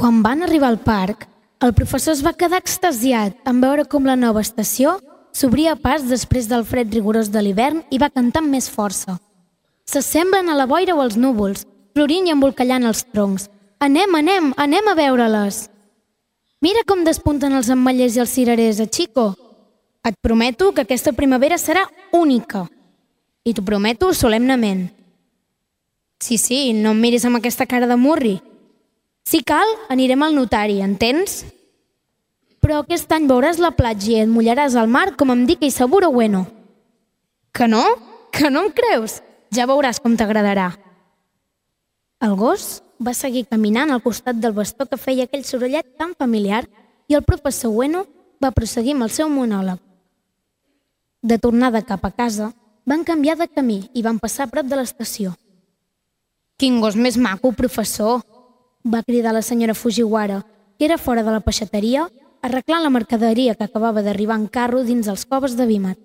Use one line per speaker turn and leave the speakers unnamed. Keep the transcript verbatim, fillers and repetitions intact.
Quan van arribar al parc, el professor es va quedar extasiat en veure com la nova estació s'obria pas després del fred rigorós de l'hivern i va cantar amb més força. S'assemblen a la boira o als núvols, florint i embolcallant els troncs. Anem, anem, anem a veure-les! Mira com despunten els ametllers i els cirerers, eh, Chico? Et prometo que aquesta primavera serà única. I t'ho prometo solemnement. Sí, sí, no em miris amb aquesta cara de murri. Si cal, anirem al notari, entens? Però aquest any veuràs la platja i et mullaràs al mar com em dic i seguro bueno. Que no? Que no em creus? Ja veuràs com t'agradarà. El gos va seguir caminant al costat del bastó que feia aquell sorollet tan familiar i el professor Bueno va proseguir amb el seu monòleg. De tornada cap a casa, van canviar de camí i van passar a prop de l'estació. «Quin gos més maco, professor!» va cridar la senyora Fujiwara, que era fora de la peixateria, arreglant la mercaderia que acabava d'arribar en carro dins els coves de Vímet.